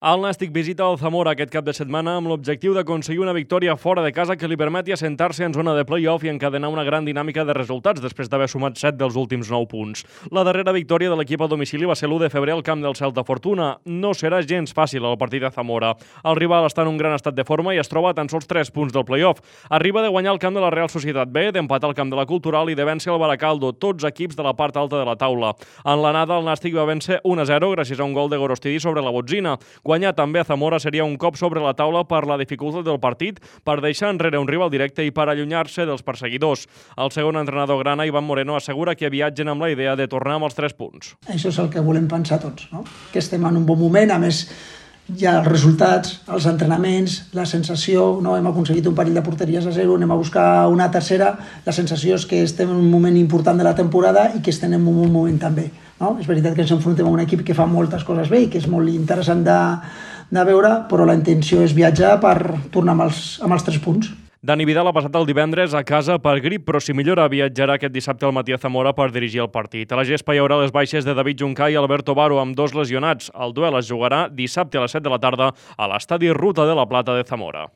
El Nàstic visita el Zamora aquest cap de setmana amb l'objectiu d'aconseguir una victòria fora de casa que li permeti assentar-se en zona de play-off i encadenar una gran dinàmica de resultats després d'haver sumat 7 dels últims 9 punts. La darrera victòria de l'equip a domicili va ser l'1 de febrer al camp del Celta Fortuna. No serà gens fàcil el partit de Zamora. El rival està en un gran estat de forma i es troba a tan sols 3 punts del play-off. Arriba de guanyar el camp de la Real Societat B, d'empatar al camp de la Cultural i de vèncer el Baracaldo, tots equips de la part alta de la taula. En l'anada, el Nàstic va vèncer 1-0 gràcies a un gol de Gorostidi sobre la Botzina. Guanyar també a Zamora seria un cop sobre la taula per la dificultat del partit, per deixar enrere un rival directe i per allunyar-se dels perseguidors. El segon entrenador grana, Iván Moreno, assegura que viatgen amb la idea de tornar amb els 3 punts. Això és el que volem pensar tots, no? Que estem en un bon moment, a més hi ha els resultats, els entrenaments, la sensació, no? Hem aconseguit un parell de porteries a 0, anem a buscar una tercera, la sensació és que estem en un moment important de la temporada i que estem en un bon moment també, no? És veritat que ens enfrontem a un equip que fa moltes coses bé i que és molt interessant de veure, però la intenció és viatjar per tornar amb els 3 punts. Dani Vidal ha passat el divendres a casa per grip, però si millora viatjarà aquest dissabte al matí a Zamora per dirigir el partit. A la gespa hi haurà les baixes de David Juncà i Alberto Baro, amb 2 lesionats. El duel es jugarà dissabte a les 7 de la tarda a l'estadi Ruta de la Plata de Zamora.